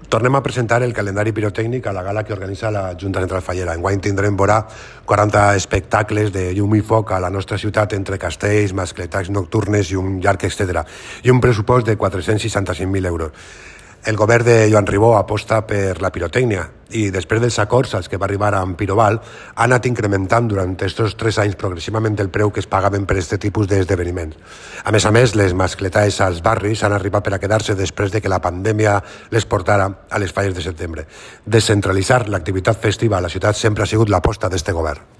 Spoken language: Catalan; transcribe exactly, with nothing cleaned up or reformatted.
Tornem a presentar el calendari pirotècnic a la gala que organitza la Junta Central Fallera. Enguany tindrem vora quaranta espectacles de llum i foc a la nostra ciutat entre castells, mascletats nocturnes i un llarg etcètera, i un pressupost de quatre-cents seixanta-cinc mil euros. El govern de Joan Ribó aposta per la pirotècnia i després dels acords als que va arribar amb Piroval ha anat incrementant durant aquests tres anys progressivament el preu que es pagaven per aquest tipus d'esdeveniments. A més a més, les mascletades als barris han arribat per a quedar-se després de que la pandèmia les portara a les falles de setembre. Descentralitzar l'activitat festiva a la ciutat sempre ha sigut l'aposta d'este govern.